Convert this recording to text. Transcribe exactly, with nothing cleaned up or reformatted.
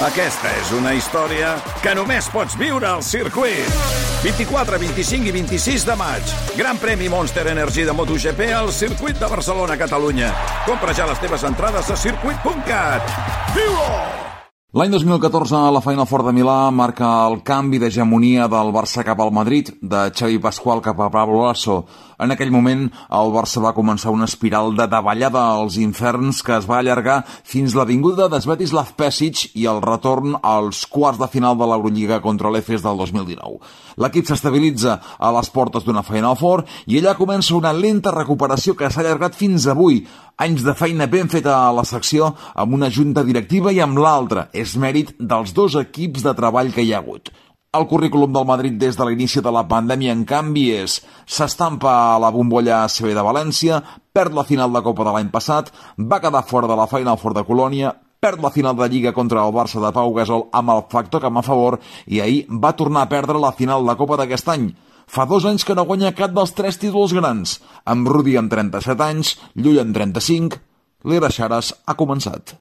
Aquesta és una història que només pots viure al circuit. vint-i-quatre, vint-i-cinc i vint-i-sis de maig. Gran premi Monster Energy de MotoGP al circuit de Barcelona, Catalunya. Compra ja les teves entrades a circuit punt cat. Viu-ho! L'any dos mil catorze, la Final Four de Milà marca el canvi d'hegemonia del Barça cap al Madrid, de Xavi Pascual cap a Pablo Lasso. En aquell moment, el Barça va començar una espiral de davallada als inferns que es va allargar fins la vinguda de Svetislav Pesic i el retorn als quarts de final de l'Eurolliga contra l'Efes del dos mil dinou. L'equip s'estabilitza a les portes d'una Final Four i allà comença una lenta recuperació que s'ha allargat fins avui. Anys de feina ben feta a la secció, amb una junta directiva i amb l'altra. És mèrit dels dos equips de treball que hi ha hagut. El currículum del Madrid des de l'inici de la pandèmia, en canvi, és s'estampa a la bombolla A C B de València, perd la final de Copa de l'any passat, va quedar fora de la Final Four de Colònia, perd la final de Lliga contra el Barça de Pau Gasol amb el factor camp a favor i ahir va tornar a perdre la final de Copa d'aquest any. Fa dos anys que no guanya cap dels tres títols grans. Amb Rudi amb trenta-set anys, Llull amb trenta-cinc, l'era Xares ha començat.